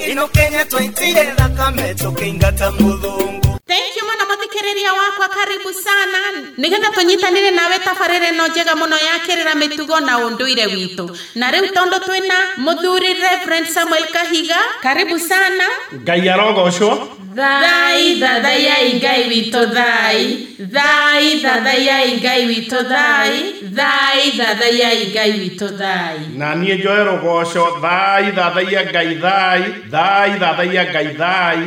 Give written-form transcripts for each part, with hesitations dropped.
Ino Kenya twaitire thakame tũkĩingata mũthũngũ. Thank you mũno mũthikĩrĩria wakwa, karibu sana nĩgetha tũnyitanĩre nawe tabarĩra ĩno njega mũno ya kĩrĩra mĩtugo na ũndũire witũ. Na rĩu tondũ twĩna mũthuri Reverend Samuel Kahiga, karibu sana. Ngai arogocwo. Thai thathaiai Ngai witũ thai, thai thathaiai Ngai witũ thai, thai thathaiai Ngai witũ thai. Na niĩ njoe rũgoco, thai thathaiya Ngai thai, thai thathaiya Ngai thai.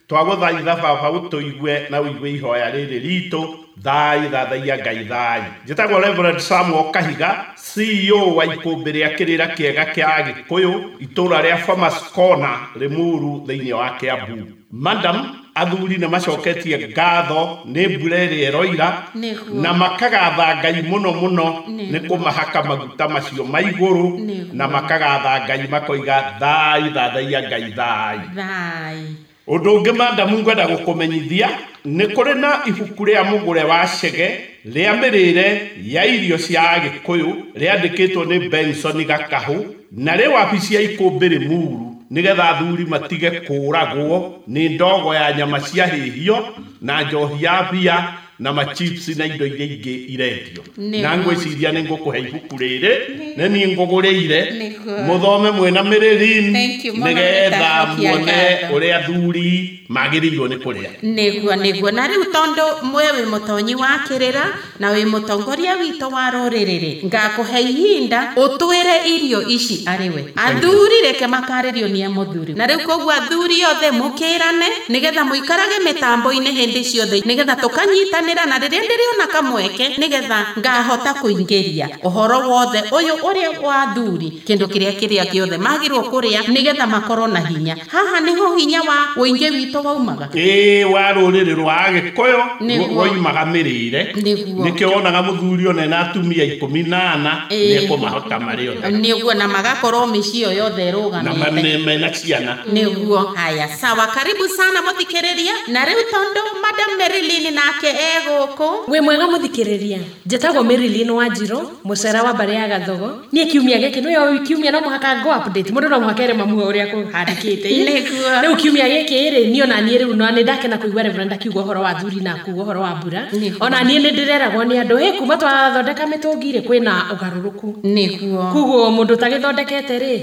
Twagũthaitha baba ũtũigue na ũigue ihoya rĩrĩ ritũ, thai thathaiya Ngai thai. Njĩtagwo Reverend Samuel Kahiga, CEO wa ikũmbĩ rĩa kĩrĩra kĩega kĩa Agĩkũyũ, itũũra rĩa Farmers Corner, Limuru, thĩinĩ wa Kiambu. Madam, athuri nĩ macoketie ngatho nĩ mbura ĩrĩa ĩroira na makagatha Ngai mũno mũno nĩ kũmahaka maguta macio ma igũrũ, na makagatha Ngai makoiga thai thathaiya Ngai thai. Thai. Ũndũ ũngĩ madam ngwenda gũkũmenyithia nĩ kũrĩ na ibuku rĩa mũgũre wa Chege rĩa mĩrĩre ya irio cia Agĩkũyũ rĩandĩkĩtwo nĩ Benson Gakahũ na rĩ wabici ya ikũmbĩ Limuru, nĩgetha athuri matige kũragwo nĩ ndogo ya nyama cia hĩhio na njohi ya bia na machips na indo iria ingĩ irendio. Na ngwĩciria nĩ ngũkũhe ibuku rĩrĩ nĩ niĩ ngũgũrĩire mũthome mwĩna mĩrĩrin nĩgetha muone ũrĩa athuri magĩrĩirwo nĩ kũrĩa. Nĩguo nĩguo. Na rĩu tondũ mwe wĩ mũtonyi wa kĩrĩra na wĩ mũtongoria witũ wa rũrĩrĩ rĩ, ngakũhe ihinda ũtwĩre irio ici arĩ we. Athuri reke makarĩrio nĩ mũthuri. Na rĩu koguo athuri othe mũkĩrane nĩgetha mũikarage mĩtambo-inĩ hĩndĩ ciothe nĩgetha tũkanyitanĩra na rĩrĩa ndĩrĩona kamweke nĩgetha ngahota kũingĩria ũhoro wothe ũyũ ũrĩa wa athuri, kĩndũ kĩrĩa kĩrĩa gĩothe magĩrĩirwo kũrĩa nĩgetha makorwo na hinya. Haha nĩho hinya wa ũingĩ witũ waumaga. Ĩĩ, wa rũrĩrĩ rwa Agĩkũyũ woimaga mĩrĩre. Nĩkĩo wonaga mũthuri one na atumia 14 nĩekũmahota marĩ othe. Nĩguo, na magakorwo mĩciĩ ĩyo yothe ĩrũgamĩte na mena ciana. Nĩguo. Haya, sawa, karibu sana mũthikĩrĩria. Na rĩu tondũ Madam Marilyn nake egũkũ. Wĩ mwega mũthikĩrĩria. Njĩtagwo Marilyn Wanjirũ, mũcera wa mbarĩ ya Gathogo. Niĩ kiumia gĩkĩ nĩyo kiumia no mũhaka ngo update. Mũndũ no mũhaka ere mamu ũrĩa kũhandĩkĩte. Nĩguo. Rĩu kiumia gĩkĩ rĩ, niĩ ona niĩ rĩu no nĩ ndakena kũigua Reverend akiuga ũhoro wa athuri na kuuga ũhoro wa mbura. Ona niĩ nĩ ndĩreragwo nĩ andũ, hĩ, kuma twathondeka mĩtũngi rĩ, kwĩna ũgarũrũku. Nĩguo. Koguo mũndũ ũtagĩthondekete rĩ,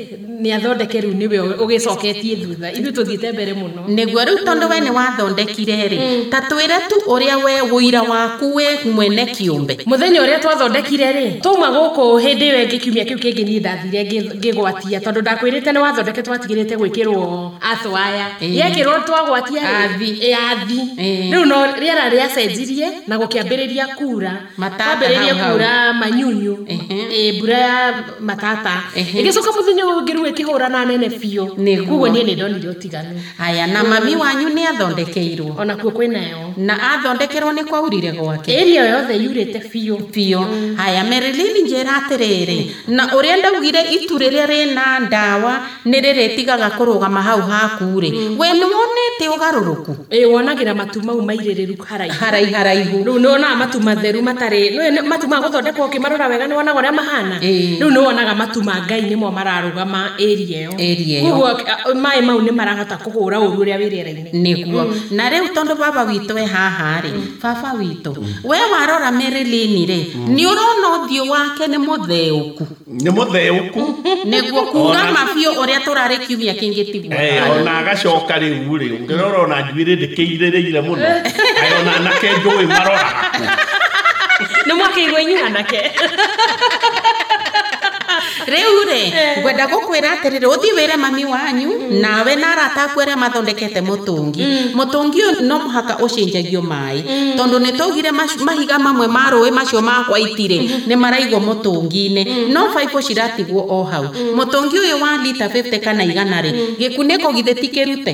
nĩ athondeke rĩu nĩwe ũgĩcoketie thutha. Ithuĩ tũthiĩte mbere mũno. Nĩguo. Rĩu tondũ we nĩ wathondekire rĩ, ta twĩre tu ũrĩa we ũira waku we mwene kĩũmbe. Mũthenya ũrĩa twathondekire rĩ, twauma gũkũ hĩndĩ ĩyo ĩngĩ kiumia kĩu kĩngĩ niĩ ndathire ngĩgwatia tondũ ndakwĩrĩte nĩ wathondeke twatigĩrĩte gwĩkĩrwo athwaya. Yekĩrwo twagwatia athi. Athi. Rĩu no rĩera rĩacenjirie na gũkĩambĩrĩria kura. Kwambĩrĩria kura manyunyu. Mbura ya matata. Ĩgĩcoka mũthenya ũyũ ũngĩ rĩu ĩkĩhũra na nene biũ. Koguo niĩ nĩ ndonire ũtiganu. Haya, na mami wanyu nĩ athondekeirwo. Ona kuo kwĩnayo. Na athondekerwo nĩ kwaurire gwake. Area yothe yurĩte biũ biũ. Haya, Marilyn njĩra atĩrĩrĩ, na ũrĩa ndaugire itu rĩrĩa rĩna ndawa nĩ rĩrĩtigaga kũrũgama hau haku rĩ, we nĩ wonete ũgarũrũku? Ĩĩ, wonagĩra matu mau mairĩrĩru haraihu haraihu. Rĩu nĩ wonaga matu matheru matarĩ, matu ma gũthondekwo ũkĩmarora wega nĩ wonaga ũrĩa mahana. Rĩu nĩ wonaga matu ma Ngai nĩmo mararũgama area ĩyo. Koguo maĩ mau nĩ marahota kũhũra ũru ũrĩa wĩ rĩera-inĩ. Nĩguo. Na rĩu tondũ baba witũ e haha rĩ, baba witũ, we warora Marilyn rĩ, nĩ ũrona ũthiũ wake nĩ mũtheũku. Nĩ mũtheũku. Nĩguo, kuga mabiũ ũrĩa tũrarĩ kiumia kĩngĩ tiguo. Ona agacoka rĩu rĩ, ũngĩrora ona njuĩrĩ ndĩkĩirĩrĩire mũno. Ayo ona anake njũĩ maroraga kũ. Nĩ mwakĩigua inyuĩ anake. Rĩu rĩ, ngwenda gũkwĩra atĩrĩrĩ, ũthiĩ wĩre mami wanyu nawe na arata aku arĩa mathondekete mũtũngi. Mũtũngi ũyũ no mũhaka ũcenjagio maĩ tondũ nĩ twaugire mahiga mamwe ma rũĩ macio ma white rĩ nĩ maraigwo mũtũngi-inĩ, no baibũ ciratigwo o hau. Mũtũngi ũyũ wa lita 50 kana 100 rĩ, gĩkunĩko githĩ ti kĩrute,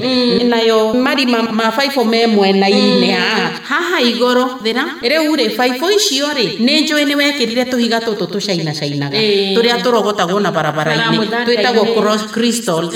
nayo marima ma baibũ me mwena-inĩ haha haha igũrũ thĩra. Rĩu rĩ, baibũ icio rĩ, nĩ njũĩ nĩ wekĩrire tũhiga tũtũ tũcainacainaga tũrĩa tũrogotagwo tũrogotagwo na barabara-inĩ twĩtagwo cross crystals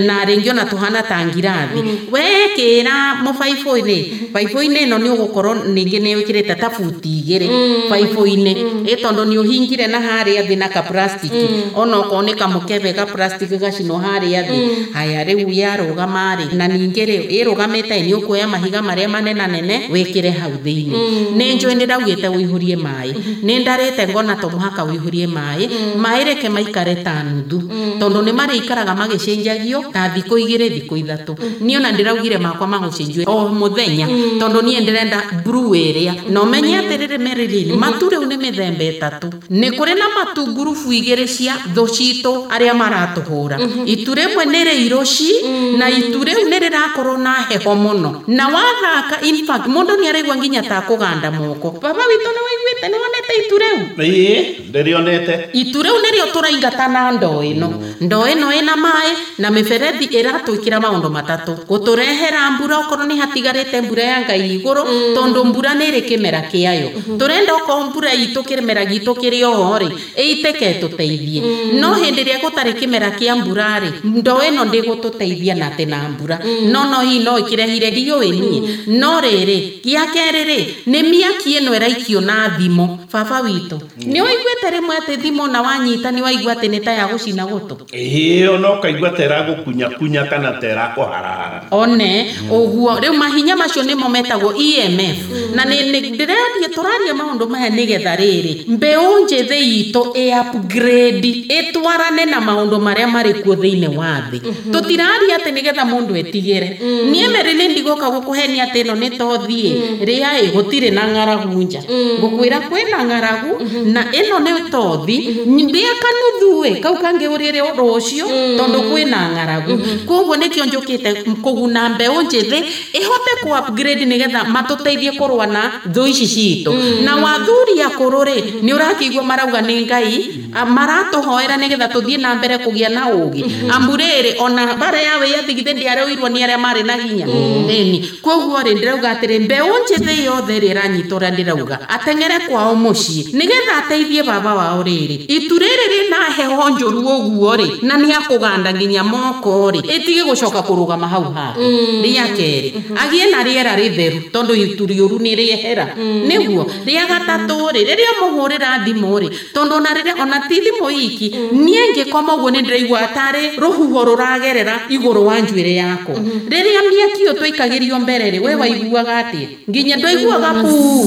na rĩngĩ ona tũhana ta ngirathi. Wekĩra mũbaibũ-inĩ, baibũ-inĩ ĩno nĩ ũgũkorwo ningĩ nĩ wĩkĩrĩte ta buti 2 baibũ-inĩ, tondũ nĩ ũhingire na harĩa thĩ na ka plastic, ona okorwo nĩ kamũkebe ka plastic gacinwo harĩa thĩ. Haya rĩu yarũgama rĩ, na ningĩ rĩ ĩrũgamĩte nĩ ũkuoya mahiga marĩa manene wĩkĩre hau thĩinĩ. Nĩ njũĩ nĩ ndaugĩte ũihũrie maĩ, nĩ ndarĩte ngona to mũhaka ũihũrie maĩ, maĩ reke maikare ta nuthu, tondũ nĩ marĩikaraga magĩcenjagio ta thikũ 2 thikũ 3. Niĩ ona ndĩraugire makwa magũcenjio o mũthenya, tondũ niĩ ndĩrenda blue ĩrĩa. Na ũmenye atĩrĩrĩ Marilyn, matu rĩu nĩ mĩthemba 3. Nĩ kũrĩ na matu ngurubu 2 cia thũ citũ arĩa maratũhũra. Itu rĩmwe nĩ rĩirũci, na itu rĩu nĩ rĩrakorwo na heho mũno, na wathaka in fact mũndũ nĩ araigua nginya ta kũganda moko. Baba witũ nĩ waiguĩte, nĩ wonete itu rĩu? Ĩĩ, ndĩrĩonete. Itu rĩu nĩrĩo tũraingata na ndoo ĩno. Ndoo ĩno ĩna maĩ na mĩberethi ĩratwĩkĩra maũndũ matatũ: gũtũrehera mbura okorwo nĩ hatigarĩte mbura ya Ngai igũrũ, tondũ mbura nĩ ĩrĩ kĩmera kĩayo. Tũrenda okorwo mbura itũ kĩmera gitũ kĩrĩ oho rĩ, ĩitĩke ĩtũteithie. No hĩndĩ ĩrĩa gũtarĩ kĩmera kĩa mbura rĩ, ndoo ĩno ndĩgũtũteithia na atĩ na mbura, no hihi no ĩkĩrehire ndiũĩ niĩ. No rĩrĩ, gĩa kerĩ rĩ, nĩ mĩaki ĩno ĩraikio na thimũ. Baba witũ, nĩ waiguĩte rĩmwe atĩ thimũ na wanyita nĩ waigua atĩ nĩ ta ya gũcina gũtũ? Ĩĩ, ona ũkaigua ta ĩragũkunyakunya kana ta ĩrakũharahara. One ũguo rĩu mahinya macio nĩmo metagwo EMF. Na nĩ ndĩraria tũraria maũndũ maya nĩgetha rĩrĩ mbeũ njĩthĩ itũ ĩ upgrade, ĩtwarane na maũndũ marĩa marĩ kuo thĩinĩ wa thĩ. Tũtiraria atĩ nĩgetha mũndũ etigĩre. Niĩ Marilyn ndigoka gũkũhenia atĩ ĩno nĩ tothiĩ rĩa ĩ gũtirĩ na ng'aragu nja. Ngũkwĩra kwĩna ng'aragu na ĩno nĩ tothi, ndĩa kanuthu ĩ kau kangĩ ũrĩre rũciũ, tondũ kwĩna ng'aragu. Koguo nĩkĩo njũkĩte kũguna mbeũ njĩthĩ ĩhote ku upgrade nĩgetha matũteithie kũrũa na thũ ici citũ. Na wathuri akũrũ rĩ, nĩ ũrakĩigua marauga nĩ Ngai maratũhoera nĩgetha tũthiĩ na mbere kũgĩa na ũũgĩ. Amu rĩrĩ ona bara ya wĩyathi githĩ ndĩarũirwo nĩ arĩa marĩ na hinya. Ĩni koguo rĩ ndĩrauga atĩrĩ, mbeũ njĩthĩ yothe ĩrĩa ĩranyita ũrĩa ndĩrauga ateng'ere kwao mũciĩ nĩgetha ateithie baba wao rĩrĩ itu rĩrĩ rĩna heho njũru ũguo rĩ, na nĩ akũganda nginya moko rĩ, ĩtige gũcoka kũrũgama hau hake. Rĩa kerĩ, agĩe na rĩera rĩtheru, tondũ itu rĩũru nĩ rĩehera. Nĩguo rĩa gatatũ rĩ, rĩrĩa mũhũrĩra thimũ rĩ, tondũ ona rĩrĩa ona ti thimũ iki, niĩ ngĩkoma ũguo nĩ ndĩraigua tarĩ rũhuho rũragerera igũrũ wa njuĩrĩ yakwa. Rĩrĩa mĩaki ĩyo twaikagĩrio mbere rĩ, we waiguaga atĩa? Nginya ndwaiguaga puu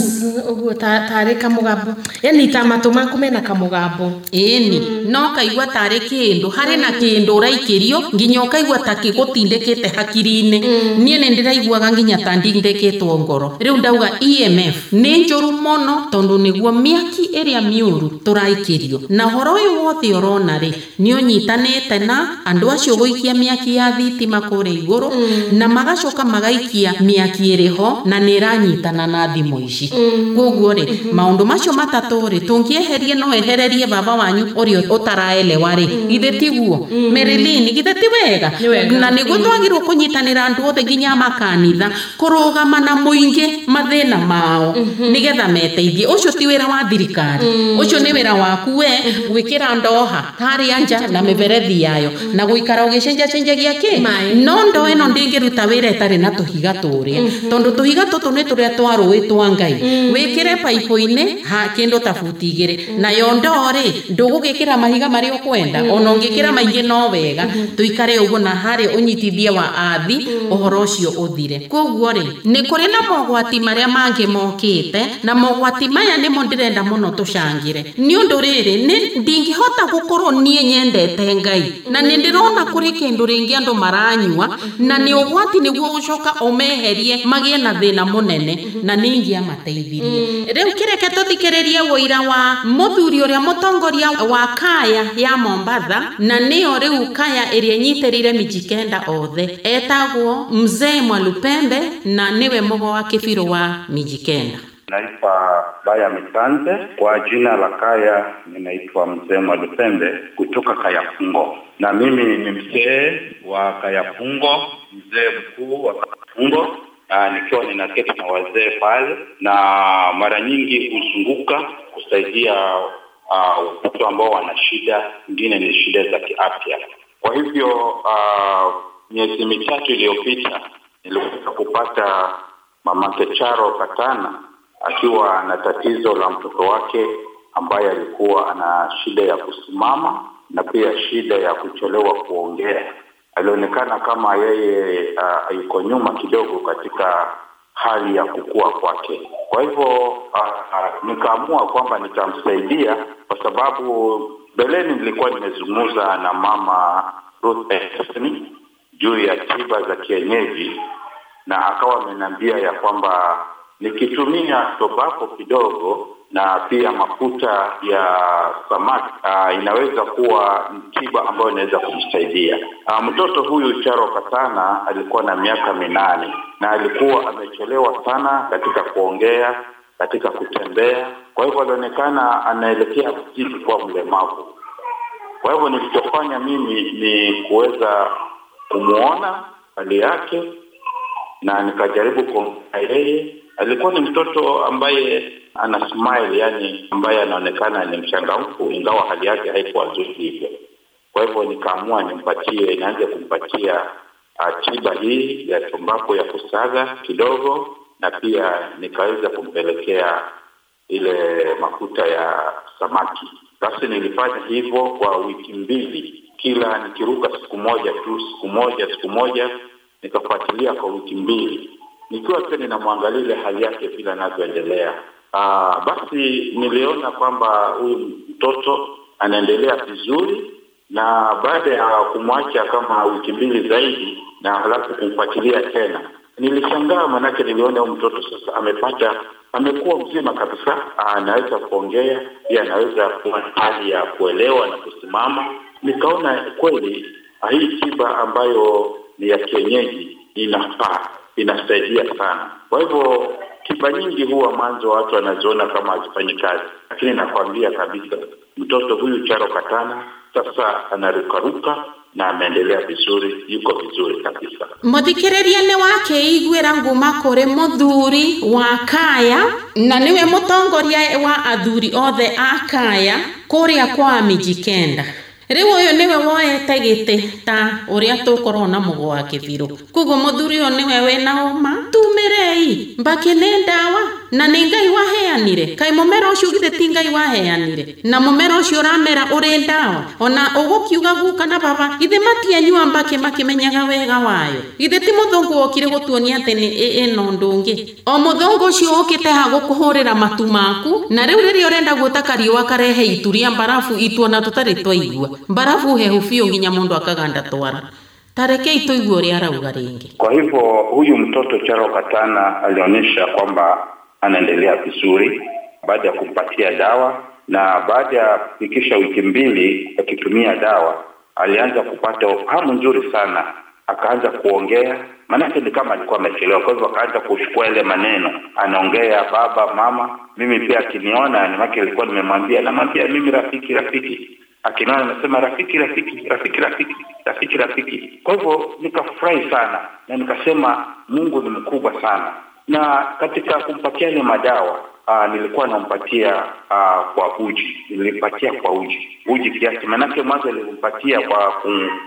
ũguo tarĩ kamũgambo, yani ta matũ maku mena kamũgambo. Ĩni, no kaigua tarĩ kĩndũ, harĩ na kĩndũ ũraikĩrio nginya ũkaigua ta gĩgũtindĩkĩte hakiri-inĩ. Niĩ nĩ ndĩraiguaga nginya ta ndindĩkĩtwo ngoro. Rĩu ndauga EMF nĩ njũru mũno, tondũ nĩguo mĩaki ĩrĩa mĩũru tũraikĩrio. Na ũhoro ũyũ wothe ũrona rĩ, nĩ ũnyitanĩte na andũ acio gũikia mĩaki ya thitima kũrĩa igũrũ, na magacoka magaikia mĩaki ĩrĩ ho na nĩ ĩranyitana na thimũ ici. Koguo rĩ, maũndũ macio matatũ rĩ, tũngĩeherie no ehererie baba wanyu ũrĩa ũtaraelewa rĩ, githĩ tiguo? Marilyn, githĩ ti wega? Na nĩguo twagĩrĩirwo kũnyitanĩra andũ othe nginya makanitha kũrũgama na mũingĩ mathĩna mao nĩgetha meteithie. Ũcio ti wĩra wa thirikari, ũcio nĩ wĩra waku we gwĩkĩra ndoha harĩa nja na mĩberethi yayo na gũikara ũgĩcenjacenjagia kĩ. No ndoo ĩno ndĩngĩruta wĩra ĩtarĩ na tũhiga tũrĩa, tondũ tũhiga tũtũ nĩ tũrĩa twa rũĩ twa Ngai. Wĩkĩre baibũ-inĩ ha kĩndũ ta buti 2, nayo ndoo rĩ ndũgũgĩkĩra mahiga marĩa ũkwenda, ona ũngĩkĩra maingĩ no wega. Tũikare ũguo na harĩ ũnyitithia wa athi ũhoro ũcio ũthire. Koguo rĩ, nĩ kũrĩ na mogwati marĩa mangĩ mokĩte, na mogwati maya nĩmo ndĩrenda mũno tũcangĩre. Nĩ ũndũ rĩrĩ, nĩ ndingĩhota gũkorwo niĩ nyendete Ngai na nĩ ndĩrona kũrĩ kĩndũ rĩngĩ andũ maranyua, na nĩ ũgwati nĩguo gũcoka ũmeherie magĩe na thĩna mũnene, na nĩ ingĩamateithirie. Rĩu kĩreke tũthikĩrĩrie ũira wa mũthuri ũrĩa mũtongoria wa kaya ya Mombatha, na nĩyo rĩu kaya ĩrĩa ĩnyitĩrĩire Mijikenda othe, etagwo Mzee Mwalupembe, na nĩwe mũgo wa kĩbirũ wa Mijikenda. Naitwa Baya Mitanze, kwa jina la kaya ninaitwa Mzee Mwalupembe kutoka Kayafungo. Na mimi ni mzee wa Kayafungo, mzee mkuu wa Kayafungo. Nikiwa ninaketi na wazee pale, na mara nyingi huzunguka kusaidia watu ambao wana shida, nyingine ni shida za kiafya. Kwa hivyo miezi mitatu iliyopita niliweza kupata mamake Charo Katana akiwa na tatizo la mtoto wake ambaye alikuwa ana shida ya kusimama na pia shida ya kuchelewa kuongea. Alionekana kama yeye yuko nyuma kidogo katika hali ya kukua kwake. Kwa hivyo nikaamua kwamba nitamsaidia, kwa sababu mbeleni nilikuwa nimezungumza na mama Ruth Anthony juu ya tiba za kienyeji, na akawa ameniambia ya kwamba nikitumia tobako kidogo na pia mafuta ya samaki inaweza kuwa tiba ambayo inaweza kumsaidia. Mtoto huyu Charo Katana alikuwa na miaka 8 na alikuwa amechelewa sana katika kuongea, katika kutembea. Kwa hivyo alionekana anaelekea kuzidi kuwa mlemavu. Kwa hivyo nilichofanya mimi ni kuweza kumuona hali yake na nikajaribu kuongea yeye. Alikuwa ni mtoto ambaye ana smile, yani ambaye anaonekana ni mchangamfu, ingawa hali yake haikuwa nzuri hivyo. Kwa hivyo nikaamua nianze kumpatia tiba hii ya tumbako ya kusaga kidogo, na pia nikaweza kumpelekea ile mafuta ya samaki. Basi nilifanya hivyo kwa wiki 2, kila nikiruka siku moja tu, siku moja, nikafuatilia kwa wiki 2, nikiwa pia ninamwangalia ile hali yake vile anavyoendelea. Basi niliona kwamba huyu mtoto anaendelea vizuri, na baada ya kumwacha kama wiki 2 zaidi na halafu kumfuatilia tena, nilishangaa manake niliona huyu mtoto sasa amekuwa mzima kabisa, anaweza kuongea, pia anaweza kuwa hali ya kuelewa na kusimama. Nikaona kweli hii tiba ambayo ni ya kienyeji inafaa, inasaidia sana. Kwa hivyo tiba nyingi huwa mwanzo watu wanaziona kama hazifanyi kazi, lakini nakwambia kabisa mtoto huyu Charo Katana sasa anarukaruka na ameendelea vizuri, yuko vizuri kabisa. Muthikiriria ni wake igwira nguma kuri muthuri wa kaya na niwe mutongoria wa athuri othe a kaya kuria kwa Mijikenda. Riu uyu niwe woete giti ta uria tukorwo na mugo wa kithiru. Koguo muthuri uyu niwe wina uma tumirei mbaki ni ndawa na ni Ngai waheanire. Kai mumera ucio githe ti Ngai waheanire, na mumera ucio uramera uri ndawa. Ona ugukiuga guka na baba githe matianyua mbaki makimenyaga wega wayo. Githe ti muthungu wokire gutuonia ati ni ino undu ungi. O muthungu ucio ukite ha gukuhurira matu maku, na riu riria urenda gwita kariua karehe ituria mbarafu ituona tutari twaigua mbarafu hehu biũ nginya mundu akaganda twara. Tarekei tuigue uria arauga ringi. Kwa hivyo huyu mtoto Charo Katana alionyesha kwamba anaendelea vizuri baada ya kumpatia dawa, na baada ya kufikisha wiki 2 akitumia dawa alianza kupata hamu nzuri sana, akaanza kuongea. Maana ni kama alikuwa amechelewa, kwa hivyo akaanza kuchukua ile maneno, anaongea baba, mama. Mimi pia akiniona, ni maana alikuwa nimemwambia, namwambia mimi rafiki rafiki, akiniona anasema rafiki rafiki rafiki rafiki rafiki rafiki. Kwa hivyo nikafurahi sana na nikasema Mungu ni mkubwa sana. Na katika kumpatia ile madawa nilikuwa nampatia kwa uji, nilimpatia kwa uji kiasi, manake mwanzo nilimpatia kwa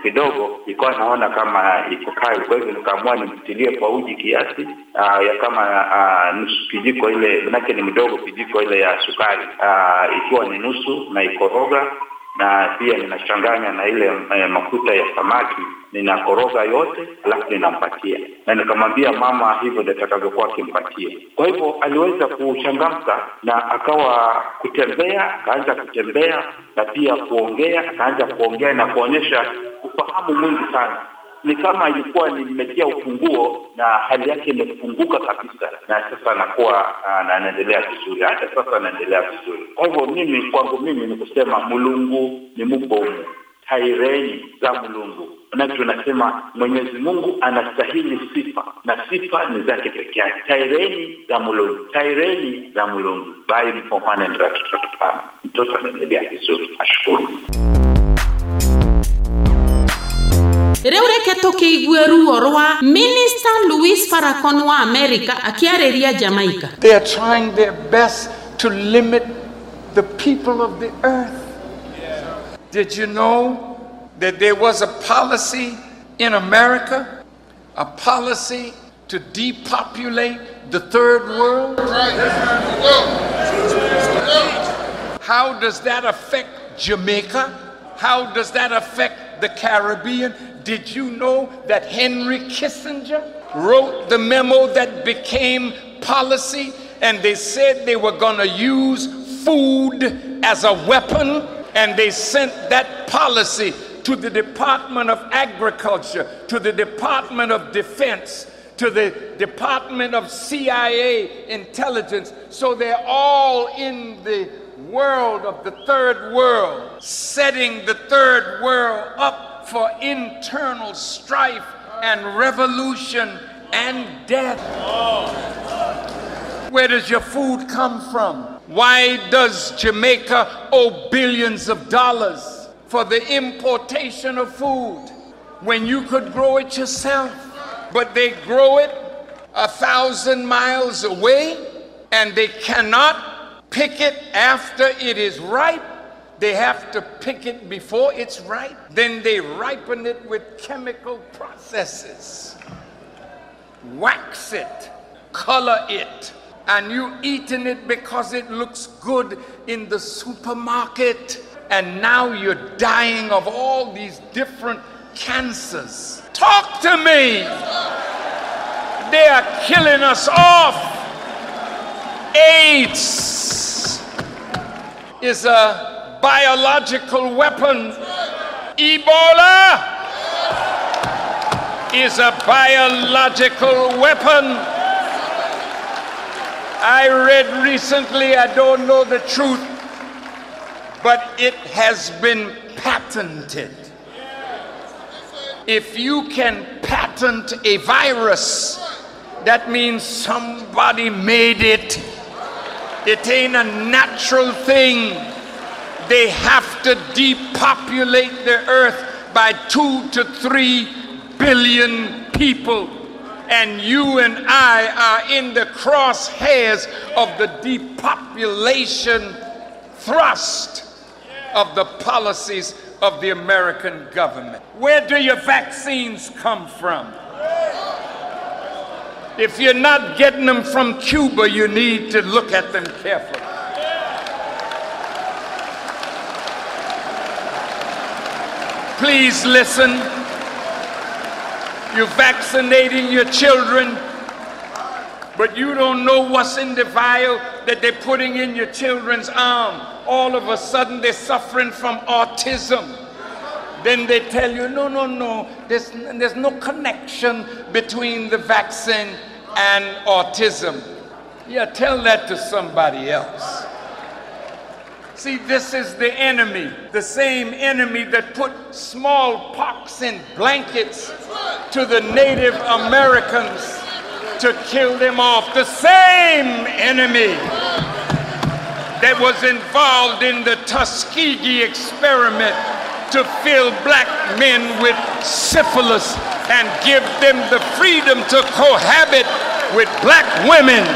kidogo, nilikuwa naona kama iko kali, kwa hivyo nikaamua nimtilie kwa uji kiasi ya kama nusu kijiko ile, manake ni mdogo kijiko ile ya sukari, ikiwa ni nusu na ikoroga, na pia ninachanganya na ile mafuta ya samaki, ninakoroga yote alafu ninampatia. Na nikamwambia mama hivyo ndio atakavyokuwa akimpatia. Kwa hivyo aliweza kuchangamka na akawa kutembea, akaanza kutembea na pia kuongea, akaanza kuongea na kuonyesha ufahamu mwingi sana. Ni kama ilikuwa nimetia ufunguo na hali yake imefunguka kabisa, na sasa anakuwa na anaendelea vizuri, hata sasa anaendelea vizuri. Kwa hivyo mimi kwangu mimi ni kusema Mulungu ni mubomu, taireni za Mulungu. Na tunasema Mwenyezi Mungu anastahili sifa na sifa ni zake pekee yake. Taireni za Mulungu, taireni za Mulungu. Bye mfomane ndio. Mtoto anaendelea vizuri, ashukuru. Rĩu reke tũkĩigue ruo rwa Minister Louis Farrakhan wa America akĩarĩria Jamaica. They are trying their best to limit the people of the earth. Did you know that there was a policy in America, a policy to depopulate the third world? How does that affect Jamaica? How does that affect the Caribbean? Did you know that Henry Kissinger wrote the memo that became policy, and they said they were gonna use food as a weapon, and they sent that policy to the Department of Agriculture, to the Department of Defense, to the Department of CIA intelligence. So they're all in the world of the third world, setting the third world up for internal strife and revolution and death. Where does your food come from? Why does Jamaica owe billions of dollars for the importation of food when you could grow it yourself? But they grow it 1,000 miles away, and they cannot pick it after it is ripe. They have to pick it before it's ripe. Then they ripen it with chemical processes, wax it, color it, and you eating it because it looks good in the supermarket. And now you're dying of all these different cancers. Talk to me. They are killing us off. AIDS is a biological weapon. Ebola is a biological weapon. I read recently, I don't know the truth, but it has been patented. If you can patent a virus, that means somebody made it. It ain't a natural thing. They have to depopulate the earth by 2 to 3 billion people. And you and I are in the crosshairs of the depopulation thrust of the policies of the American government. Where do your vaccines come from? If you're not getting them from Cuba, you need to look at them carefully. Please listen. You're vaccinating your children, but you don't know what's in the vial that they're putting in your children's arm. All of a sudden, they're suffering from autism. Then they tell you, no, no, no, there's no connection between the vaccine and autism. Yeah, tell that to somebody else. See, this is the enemy, the same enemy that put smallpox in blankets to the Native Americans to kill them off. The same enemy that was involved in the Tuskegee experiment to fill black men with syphilis and give them the freedom to cohabit with black women.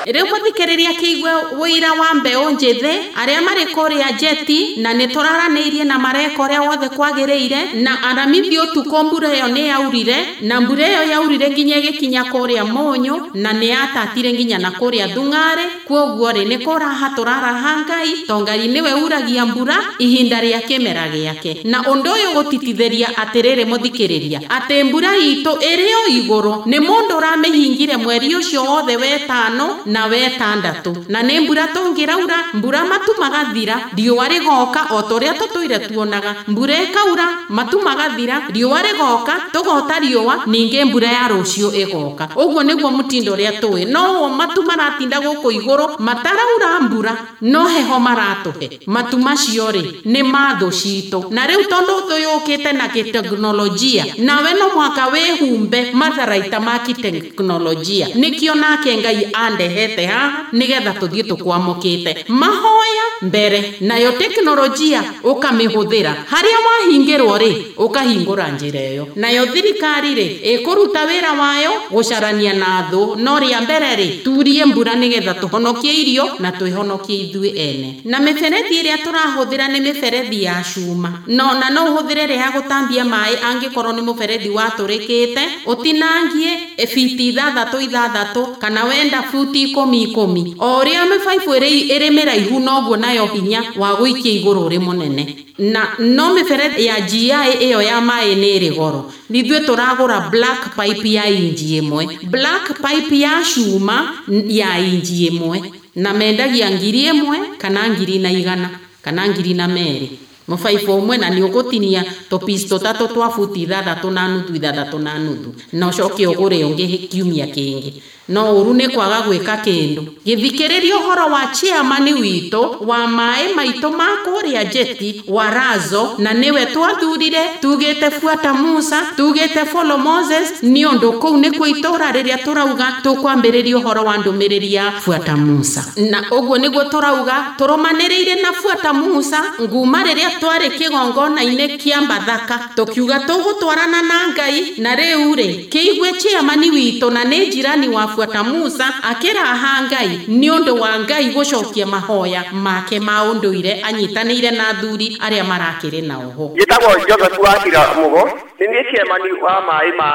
Rĩu mũthikĩrĩria kĩigue wũira wa mbeũ njĩthĩ arĩa marĩ kũrĩa jeti na nĩ tũraranĩirie na mareka ũrĩa wothe kwagĩrĩire na aramithi ũtukũ mbura ĩyo nĩ yaurire na mbura ĩyo yaurire nginya ĩgĩkinya kũrĩa Mũnyũ na nĩ yatatire nginya na kũrĩa Thung'arĩ. Kwoguo rĩ nĩ kũraha tũraraha Ngai to Ngai nĩwe uragia mbura ihinda rĩa kĩmera gĩake. Na ũndũ ũyũ gũtitithĩria atĩrĩrĩ mũthikĩrĩria atĩ mbura itũ ĩrĩ o igũrũ nĩ mũndũ ũramĩhingire mweri ũcio wothe wetano na wetandatũ na nĩ mbura tũngĩraura mbura matu magathira riũa rĩgoka o ta ũrĩa tũtũire tuonaga mbura ĩkaura matu magathira riũa rĩgoka tũgota riũa ningĩ mbura ya rũciũ ĩgoka. Ũguo nĩguo mũtindo ũrĩa tũĩ no matu maratinda gũkũ igũrũ mataraura mbura no heho maratũhe matu macio rĩ nĩ ma thũ citũ. Na rĩu tondũ thũ yũkĩte na gĩteknolojia nawe no mũhaka wĩhumbe matharaita ma gĩteknolojia nĩkĩo nake Ngai andehete haha nĩgetha tũthiĩ tũkwamũkĩte mahoya. Kũhoya mbere, nayo teknolojia ũkamĩhũthĩra. Harĩa wahingĩrwo rĩ, ũkahingũra njĩra ĩyo. Nayo thirikari rĩ, ĩkũruta wĩra wayo gũcarania na thũ, no rĩa mbere rĩ, turie mbura nĩgetha tũhonokie irio na twĩhonokie ithuĩ ene. Na mĩberethi ĩrĩa tũrahũthĩra nĩ mĩberethi ya cuma. No na no ũhũthĩre ĩrĩa ya gũtambia maĩ angĩkorwo nĩ mũberethi watũrĩkĩte, ũtinangie biti 6 6 kana wenda futi 10 10. O ũrĩa mĩbaibũ ĩrĩ mĩraihu noguo nayo hinya wa gũikia igũrũ ũrĩ mũnene. Na no mĩberethi ya GI ĩyo ya maĩ nĩ ĩrĩ goro. Ithuĩ tũragũra black pipe ya inji 1, black pipe ya cuma ya inji 1, na mendagia 1,000 kana 1,100 kana 2,200. Mũbaibũ ũmwe, na nĩ ũgũtinia tũpiece tũtatũ twa futi 6.5 6.5, na ũcoke ũgũre ũngĩ kiumia kĩngĩ. No ũru nĩ kwaga gwĩka kĩndũ. Gĩthikĩrĩria ũhoro wa chairman witũ wa maĩ maitũ ma kũrĩa Jeti wa Razo, na nĩwe twathurire tugĩte fuata Musa, tugĩte follow Moses, nĩ ũndũ kũu nĩkuo itũra rĩrĩa tũrauga tũkwambĩrĩria ũhoro wa ndũmĩrĩri ya fuata Musa. Na ũguo nĩguo tũrauga tũrũmanĩrĩire na fuata Musa nguma rĩrĩa twarĩ kĩgongona-inĩ kĩa Mbathaka, tũkiuga tũgũtwarana na Ngai. Na rĩu rĩ, kĩigue chairman witũ na nĩ jirani wa fuata Musa akĩraha Ngai nĩ ũndũ wa Ngai gũcokia mahoya make ma ũndũire anyitanĩire na athuri arĩa marakĩrĩ nao ho. Njĩtagwo Joseph Wakira Mugo, nĩ niĩ chairman wa maĩ ma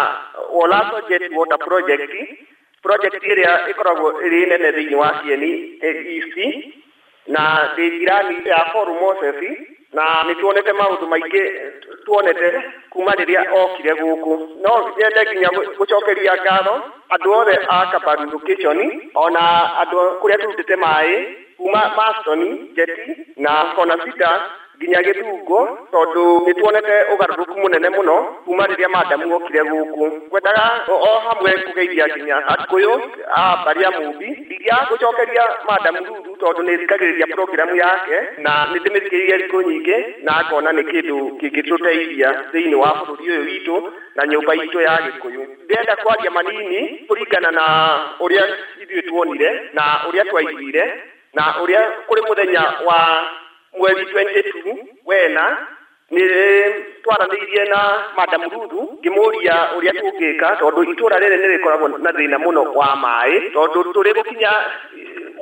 Olaso Jet Water Project, project ĩrĩa ĩkoragwo ĩrĩ nene thĩinĩ wa Kieni East, na ndĩ jirani ya Paul Moses, na nĩ tuonete maũndũ maingĩ tuonete kuma rĩrĩa okire gũkũ. No nyende nginya gũcokeria ngatho andũ othe a Kabaru location, ona andũ kũrĩa tũrutĩte maĩ kuma Maston, Jeti na Kona Sita nginya Gĩthungo, tondũ nĩ tuonete ũgarũrũku mũnene mũno kuma rĩrĩa madamu okire gũkũ. Ngwendaga o hamwe kũgeithia nginya Agĩkũyũ a mbarĩ ya Mũmbi, ndingĩaga gũcokeria madamu Ruthu tondũ nĩ thikagĩrĩria programu yake na nĩ ndĩmĩthikĩrĩirie thikũ nyingĩ na ngona nĩ kĩndũ kĩngĩtũteithia thĩinĩ wa bũrũri ũyũ witũ na nyũmba itũ ya Gĩkũyũ. Ndĩrenda kwaria manini kũringana na ũrĩa ithuĩ tuonire na ũrĩa twaiguire na ũrĩa kũrĩ mũthenya wa mweri 22 wena nĩ twaranĩirie na Madam Ruthu ngĩmũria ũrĩa tũngĩka tondũ itũra rĩrĩ nĩ rĩkoragwo na thĩna mũno wa maĩ, tondũ tũrĩ gũkinya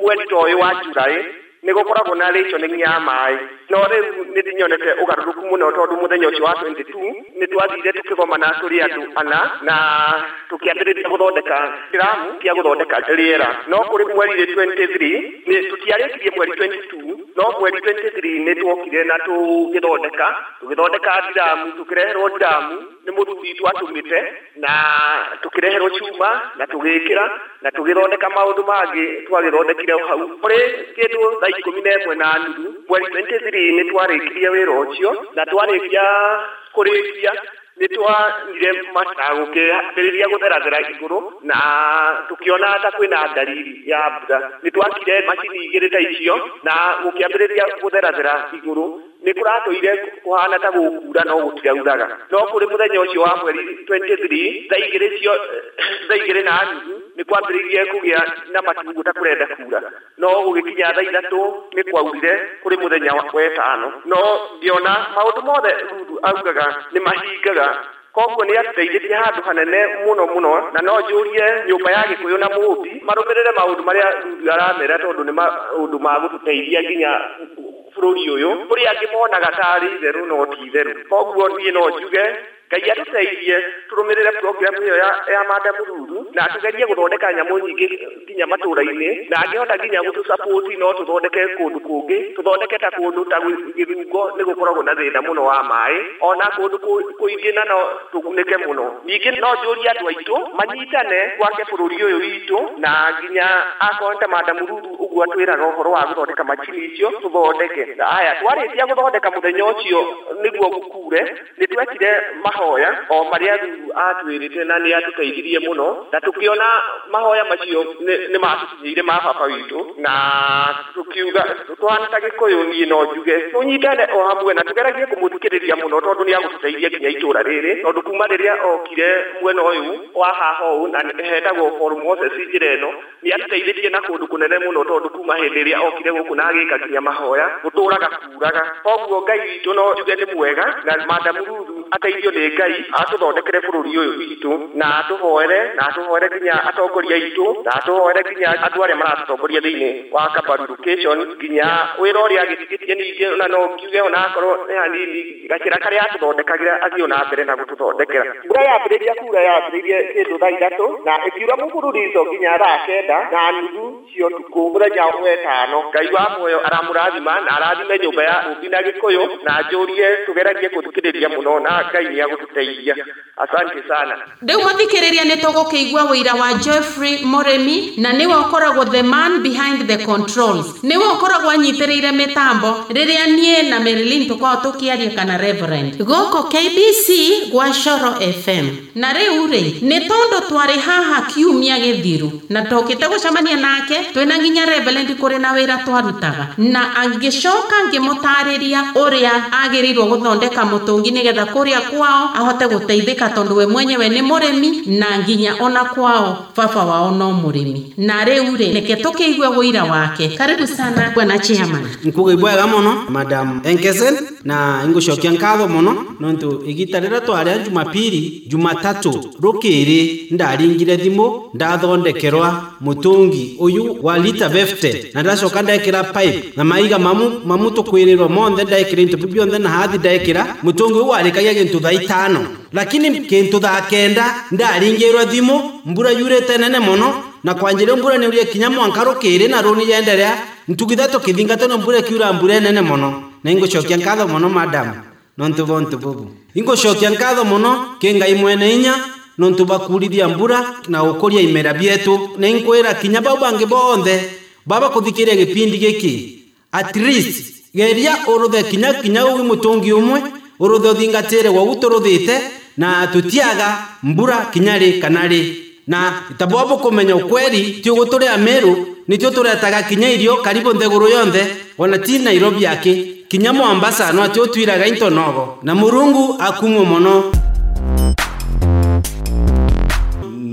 mweri ta ũyũ wa July nĩ gũkoragwo na rationing ya maĩ. No rĩu nĩ ndĩnyonete ũgarũrũku mũno tondũ mũthenya ũcio wa 22 nĩ twathire tũkĩgomana tũrĩ andũ ana na tũkĩambĩrĩria gũthondeka kĩramu kĩa gũthondeka rĩera. No kũrĩ mweri 23 nĩ tũtiarĩkirie mweri 22, no mweri 23 nĩ tuokire na tũgĩthondeka ndiramu, tũkĩreherwo ndiramu nĩ mũthuri twatũmĩte na tũkĩreherwo cuma na tũgĩkĩra na tũgĩthondeka maũndũ mangĩ twagĩthondekire hau. Kũrĩ kĩndũ thaa 11:30 mweri 23 nĩ twarĩkirie wĩra ũcio, na twarĩkia kũrĩkia nĩ twanyire mataa gũkĩambĩrĩria gũtherathera igũrũ na tũkĩona ta kwĩna dalili ya mbura. Nĩ twakire macini igĩrĩ ta icio na gũkĩambĩrĩria gũtherathera igũrũ. Nĩ kũratũire kũhana ta gũkura no gũtirauraga. No kũrĩ mũthenya ũcio wa mweri 23 thaa 2:30 nĩ kwambĩrĩirie kũgĩa na matu ta kũrenda kura, no gũgĩkinya thaa 3 nĩ kwaurire kũrĩ mũthenya wa 5. No ngĩona maũndũ mothe Ruthu augaga nĩ mahingaga, koguo nĩ atũteithĩtie handũ hanene mũno mũno, na no njũrie nyũmba ya Gĩkũyũ na Mũmbi marũmĩrĩre maũndũ marĩa Ruthu aramera tondũ nĩ maũndũ ma gũtũteithia nginya bũrũri ũyũ. Kũrĩ angĩ monaga tarĩ itherũ no ti itherũ. Koguo niĩ no njuge Ngai atũteithie tũrũmĩrĩre program ĩyo ya Madam Ruthu na tũgerie gũthondeka nyamũ nyingĩ nginya matũra-inĩ, na angĩhota nginya gũtũsupport no tũthondeke kũndũ kũngĩ, tũthondeke ta kũndũ ta Gĩthungo nĩ gũkoragwo na thĩna mũno wa maĩ, ona kũndũ kũingĩ na no tũgunĩke mũno. Ningĩ no njũrie andũ aitũ manyitane gwake bũrũri ũyũ witũ, na nginya akorwo ta Madam Ruthu ũguo atwĩraga ũhoro wa gũthondeka macini icio tũthondeke. Aya twarĩkia gũthondeka mũthenya ũcio nĩguo gũkure, nĩ twekire mahoya o marĩa Ruthu atwĩrĩte na nĩ atũteithirie mũno na tũkĩona mahoya macio nĩ matũkinyĩire ma baba witũ na tũkiuga tũhana ta Gĩkũyũ niĩ no njuge tũnyitane o hamwe na tũgeragie kũmũthikĩrĩria mũno tondũ nĩ agũtũteithia nginya itũra rĩrĩ tondũ kuma rĩrĩa okire mwena ũyũ wa haha ũũ na hetagwo Paul Moses njĩra ĩno nĩ atũteithĩtie na kũndũ kũnene mũno tondũ kuma hĩndĩ ĩrĩa okire gũkũ na agĩka nginya mahoya gũtũraga kuraga koguo Ngai witũ no njuge nĩ mwega na Madam Ruthu ateithio nĩ Ngai atũthondekere bũrũri ũyũ witũ na atũhoere nginya atongoria aitũ na atũhoere nginya andũ arĩa maratũtongoria thĩinĩ wa Kabaru location nginya wĩra ũrĩa agĩtigĩtie ningĩ na no ngiuge ona akorwo nĩ hanini gacĩra karĩa atũthondekagĩra athiĩ na mbere na gũtũthondekera. Mbura yambĩrĩria kura yambĩrĩirie kĩndũ thaa 3 na ĩkiura mũbururizo nginya thaa 9:30 cia ũtukũ mũthenya wa ĩtano. Ngai wa muoyo aramũrathima na arathime nyũmba ya Ũmbi na Gĩkũyũ na njũrie tũgeragie gũthikĩrĩria mũno na Ngai nĩ agũtũteithia. Asante sana. Rĩu mũthikĩrĩria nĩ tũgũkĩigua wĩira wa Jeffrey Mũrĩmi na nĩwe ũkoragwo the man behind the controls, nĩwe ũkoragwo anyitĩrĩire mĩtambo rĩrĩa niĩ na Marilyn tũkoragwo tũkĩaria kana Reverend gũkũ KBC gwa Coro FM. Na rĩu rĩ nĩ tondũ twarĩ haha kiumia gĩthiru na tũkĩte gũcemania nake twĩna nginya Reverend kũrĩ na wĩra twarutaga na angĩcoka ngĩmũtarĩria ũrĩa agĩrĩirwo gũthondeka mũtũngi nĩgetha kũrĩa kwao ahote gũteithĩka tondũ we mwenyewe nĩ mũrĩmi na nginya ona kwao baba wao no mũrĩmi. Na rĩu rĩ reke tũkĩigue wũira wake. Karibu sana bwana chairman. Nkuga mũno Madam Enkesen na ingũcokia nkatho mũno nontu igita rĩrĩa twarĩa Jumapili Jumatatu rũkĩrĩ ndaringire thimũ ndathondekerwa mũtũngi ũyũ wa lita 50 na ndacoka ndekĩra pipe na maiga mamu tũkwĩrĩrwo monthe ndekĩra into bionthe na hathi ndekĩra mũtũngi ũyũ warĩkagia gĩntũ thaa 5 lakini kĩntũ thaa 9 ndaringĩrwo thimũ mbura yurĩte nene mũno na kwanjĩrĩo mbura nĩ ũrĩa kinya mwanka rũkĩrĩ na rũni yenderea ntugitha tũkĩthingata no mbura kiura mbura nene mũno na ingũcokia nkatho mũno madam nontu bontu bubu ingũcokia nkatho mũno kĩ Ngai mwene inya nontu bakurithia mbura na ũkũria imera bietu na inkwĩra kinya bau bangĩ bonthe baba kũthikĩria gĩpindi gĩkĩ at least geria ũrũthe kinya kinya ũgĩ mũtũngi ũmwe ũrũthe ũthingatĩre wau tũrũthĩte na tũtiaga mbura kinya rĩ kana rĩ na tabwabo kũmenya ukweli ti ũgũtũrĩa Meru nĩtio tũretaga kinya irio karibu nthegũrũ yonthe ona ti Nairobi yake kinya Mombasa no atĩ ũtwiraga into nogo na Mũrungu akumwo mũno.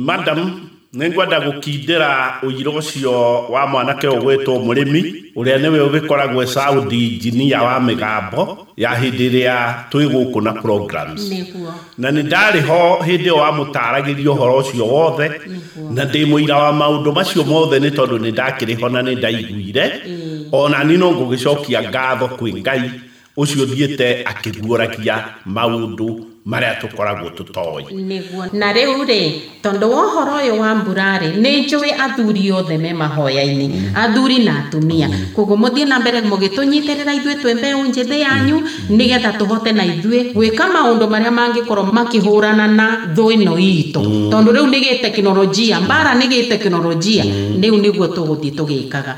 Madam nĩngwenda gũkindĩra ũira ũcio wa mwanake ũgwĩtwo mũrĩmi ũrĩa nĩwe ũgĩkoragwo sound engineer wa mĩgambo ya hĩndĩ ĩrĩa twĩ gũkũ na programs. Na nĩ ndarĩ ho hĩndĩ ĩyo wamũtaragĩria ũhoro ũcio wothe na ndĩ mũira wa maũndũ macio mothe nĩ tondũ nĩ ndakĩrĩ ho na nĩ ndaiguire ona niĩ no ngũgĩcokia ngatho kwĩ Ngai ũcio thiĩte akĩguũragia maũndũ marĩa tũkoragwo tũtoĩ. Nĩguo. Na rĩu rĩ tondũ wa ũhoro ũyũ wa mbura rĩ nĩ njũĩ athuri othe me mahoya-inĩ athuri na atumia koguo mũthiĩ na mbere mũgĩtũnyitĩrĩra ithuĩ twĩ mbeũ njĩthĩ yanyu nĩgetha tũhote na ithuĩ gwĩka maũndũ marĩa mangĩkorwo makĩhũrana na thũ ĩno itũ tondũ rĩu nĩ gĩtekinoronjia mbara nĩ gĩtekinoronjia rĩu nĩguo tũgũthiĩ tũgĩkaga.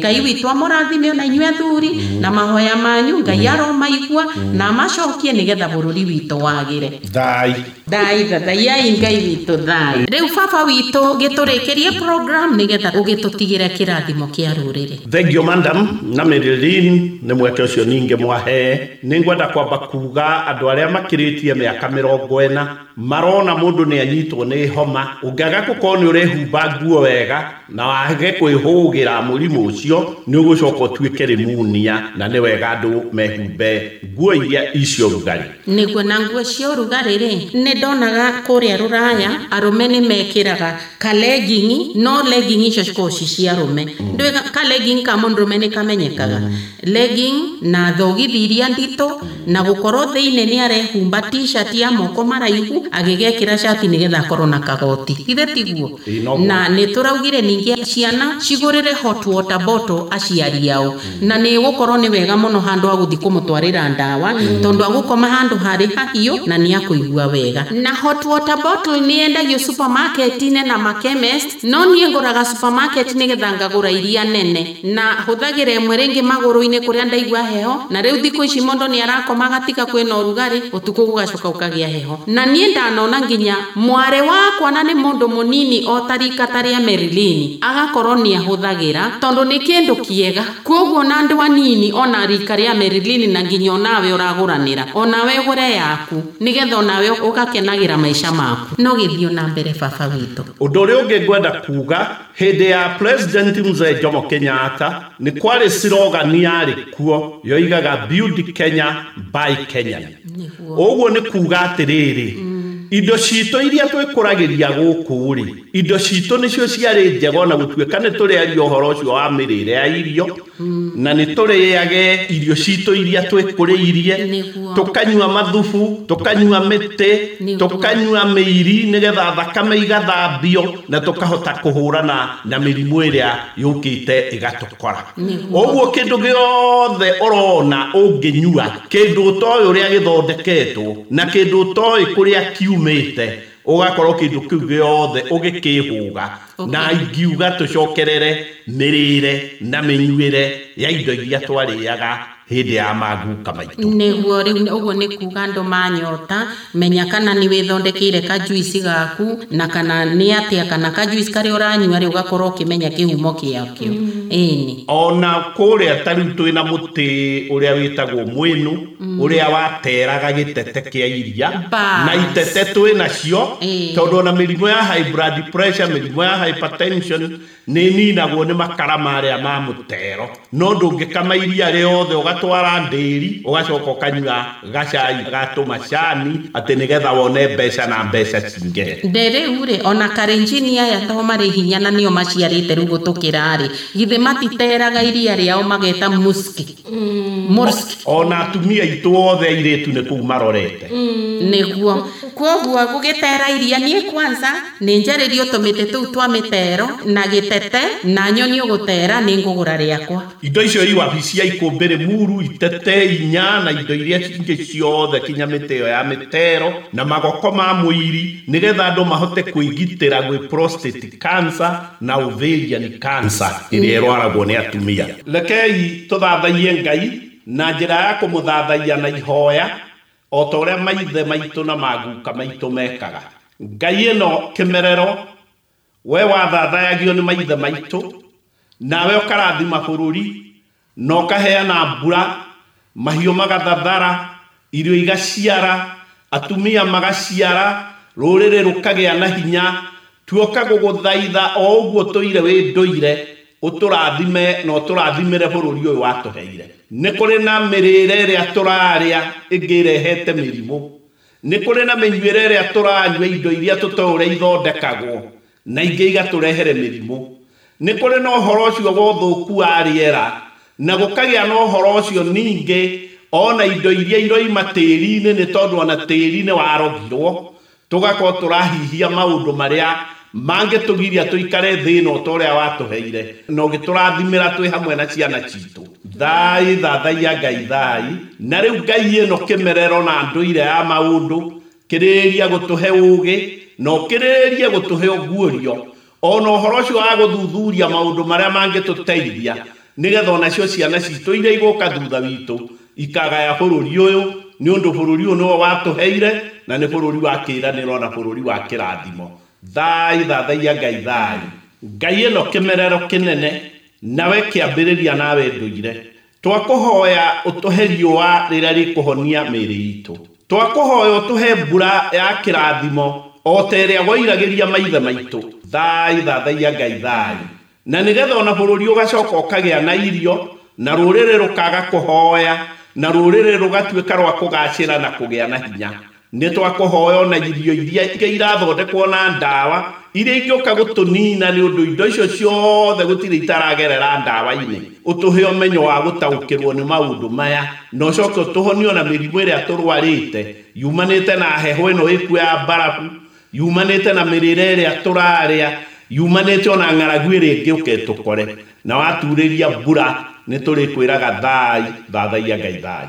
Ngai witũ amũrathime ona inyuĩ athuri na mahoya manyu Ngai aromaigua na amacokie nĩgetha bũrũri witũ wagire. Thai thai thathaiai Ngai witũ thai. Rĩu baba witũ gĩtũrĩkĩrie program nĩgetha ũgĩtũtigĩre kĩrathimo kĩa rũrĩrĩ. Thank you madam na Marilyn nĩ mweke ũcio ningĩ mwahe. Nĩ ngwenda kwamba kuga andũ arĩa makĩrĩtie mĩaka 40 marona mũndũ nĩ anyitwo nĩ homa ũngĩaga gũkorwo nĩ ũrehumba nguo wega na wage kwĩhũgĩra mũrimũ ũcio nĩ ũgũcoka ũtuĩke rĩmunia na nĩ wega andũ mehumbe nguo iria icio rugarĩ. Nĩguo na nguo cia ũrugarĩ rĩ nĩ ndonaga kũrĩa rũraya arũme nĩ mekĩraga ka legging no legging icio cikoragwo ci cia arũme ndũĩ ka legging ka mũndũrũme nĩ kamenyekaga legging na thogithi iria nditũ na gũkorwo thĩinĩ nĩ arehumba t-shirt ya moko maraihu agĩgekĩra cati nĩgetha akorwo na kagoti ithe tiguo. Na nĩ tũraugire ningĩ ciana cigũrĩre hot water bottle aciari ao na nĩ gũkorwo nĩ wega mũno handũ ha gũthiĩ kũmũtwarĩra ndawa tondũ agũkoma handũ harĩ mahiũ na nĩ akũigua wega. Na hot water bottle nĩ yendagio supermarket-inĩ na makemist, no niĩ ngũraga supermarket nĩgetha ngagũra iria nene na hũthagĩra ĩmwe rĩngĩ magũrũ-inĩ kũrĩa ndaigua heho. Na rĩu thikũ ici mũndũ nĩ arakoma gatiga kwĩna ũrugarĩ, ũtukũ gũgacoka ũkagĩa heho. Na niĩ ndanona nginya mwarĩ wakwa na nĩ mũndũ mũnini o ta rika ta rĩa Merilini agakorwo nĩ ahũthagĩra tondũ nĩ kĩndũ kĩega. Koguo na andũ anini ona rika rĩa Merilini na nginya onawe ũragũranĩra, onawe ũgũre yaku nĩgetha onawe ũgakenagĩra maica maku. No gĩthiĩ na mbere baba witũ. Ũndũ ũrĩa ũngĩ ngwenda kuga, hĩndĩ ya President Mzee Jomo Kenyatta nĩ kwarĩ slogan yarĩ kuo yoigaga Build Kenya by Kenyan. Ũguo nĩ kuga atĩrĩrĩ, indo citũ iria twĩkũragĩria gũkũ rĩ, indo citũ nĩcio ciarĩ njega ona gũtuĩka nĩ tũrĩaria ũhoro ũcio wa mĩrĩre ya irio, na nĩ tũrĩage irio citũ iria twĩkũrĩirie, tũkanyua mathubu, tũkanyua mĩtĩ, tũkanyua mĩiri nĩgetha thakame igathambio na tũkahota kũhũrana na mĩrimũ ĩrĩa yũkĩte ĩgatũkora. Ũguo kĩndũ gĩothe ũrona ũngĩnyua, kĩndũ ũtoĩ ũrĩa gĩthondeketwo na kĩndũ ũtoĩ kũrĩa kiumĩte, ũgakorwo kĩndũ kĩu gĩothe ũgĩkĩhũga. Na ingiuga tũcokerere mĩrĩre na mĩnyuĩre ya indo iria twarĩaga hĩndĩ ya maguka maitũ. Nĩguo rĩu ũguo nĩ kuga andũ manyota, menya kana nĩ wĩthondekeire kajuici gaku na kana nĩ atĩa, kana kajuici karĩa ũranyua rĩ ũgakorwo ũkĩmenya kĩhumo gĩakĩo. Ĩni ona kũrĩa ta rĩu twĩna mũtĩ ũrĩa wĩtagwo mwĩnũ, ũrĩa wateraga gĩtete kĩa iria, na itete twĩnacio tondũ ona mĩrimũ ya high blood pressure, mĩrimũ ya hypertension nĩ ninagwo nĩ makara marĩa ma mũtero. No ndũngĩkama iria rĩothe ũgatwara ndĩri ũgacoka ũkanyua gacai ga tũmacani atĩ nĩgetha wone mbeca na mbeca cingĩhe. Rĩu rĩ ona karenjini aya to marĩ hinya na nĩo maciarĩte rĩu gũtũkĩra rĩ, githĩ matiteraga iria rĩao mageta muski murski. Ona atumia aitũ othe airĩtu nĩ kũu marorete. Nĩguo koguo gũgĩtera iria niĩ kwanza nĩ njarĩrio tũmĩtĩ tũu twa mĩtero na gĩtete na nyoni ũgũtera nĩ ngũgũra rĩakwa. Indo icio i wabici ya Ikũmbĩrĩ Muru, itete inya na indo iria ingĩ ciothe kinya mĩtĩ ĩyo ya mĩtero na magoko ma mũiri nĩgetha andũ mahote kwĩgitĩra gwĩ prostate cancer na ovarian cancer ĩrĩa ĩrwaragwo nĩ atumia. Rekei tũthathaiye Ngai na njĩra ya kũmũthathaiya na ihoya o ta ũrĩa maithe maitũ na maguka maitũ mekaga. Ngai ĩno kĩmerero, we wathathayagio nĩ maithe maitũ, nawe ũkarathima bũrũri na ũkaheana mbura, mahiũ magathathara, irio igaciara, atumia magaciara, rũrĩrĩ rũkagĩa na hinya. Tuoka gũgũthaitha o ũguo tũire wĩ ndũire, ũtũrathime na ũtũrathimĩre bũrũri ũyũ watũheire. Nĩ kũrĩ na mĩrĩre ĩrĩa tũrarĩa ĩngĩ ĩrehete mĩrimũ, nĩ kũrĩ na mĩnyuĩre ĩrĩa tũranyua indo iria tũtoĩ ũrĩa ithondekagwo na ingĩ igatũrehere mĩrimũ, nĩ kũrĩ na ũhoro ũcio wa ũthũku wa rĩera na gũkagĩa na ũhoro ũcio ningĩ ona indo iria iroima tĩri-inĩ, nĩ tondũ ona tĩri nĩ warogirwo, tũgakorwo tũrahihia maũndũ marĩa mangĩtũgiria tũikare thĩ ĩno ta ũrĩa watũheire na ũgĩtũrathimĩra twĩ hamwe na ciana citũ. Thai thathaiya Ngai thai. Na rĩu Ngai ĩno kĩmerero na ndũire ya maũndũ, kĩrĩrĩria gũtũhe ũũgĩ na ũkĩrĩrĩrie gũtũhe ũguũrio ona ũhoro ũcio wa gũthuthuria maũndũ marĩa mangĩtũteithia nĩgetha onacio ciana citũ iria igũka thutha witũ ikagaya bũrũri ũyũ, nĩ ũndũ bũrũri ũyũ nĩwe watũheire na nĩ bũrũri wa kĩĩranĩro na bũrũri wa kĩrathimo. Thai thathaiya Ngai thai. Ngai ĩno kĩmerero kĩnene, nawe kĩambĩrĩria nawe ndũire. Twakũhoya ũtũhe riũa rĩrĩa rĩkũhonia mĩĩrĩ itũ, twakũhoya ũtũhe mbura ya kĩrathimo o ta ĩrĩa woiragĩria maithe maitũ. Thai thathaiya Ngai thai. Na nĩgetha ona bũrũri ũgacoka ũkagĩa na irio na rũrĩrĩ rũkaga kũhoya na rũrĩrĩ rũgatuĩka rwa kũgacĩra na kũgĩa na hinya. Nĩ twakũhoya ona irio iria ingĩ irathondekwo na ndawa iria ingĩũka gũtũnina, nĩ ũndũ indo icio ciothe gũtirĩ itaragerera ndawa-inĩ. Ũtũhe ũmenyo wa gũtaũkĩrwo nĩ maũndũ maya na ũcoke ũtũhonie ona mĩrimũ ĩrĩa tũrwarĩte yumanĩte na heho ĩno ĩkuo ya mbarabu, yumanĩte na mĩrĩre ĩrĩa tũrarĩa, yumanĩte ona ng'aragu ĩrĩa ĩngĩũka ĩtũkore. Na waturĩria mbura nĩ tũrĩkwĩraga thai thathaiya Ngai thai.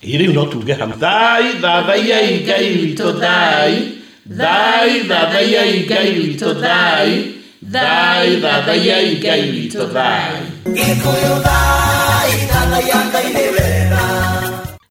Rĩu no tuge hamwe, thai thathaiai Ngai witũ thai, thai thathaiai Ngai witũ thai, thai thathaiai Ngai witũ thai. Gĩkũyũ thai, thathaiya Ngai nĩwe.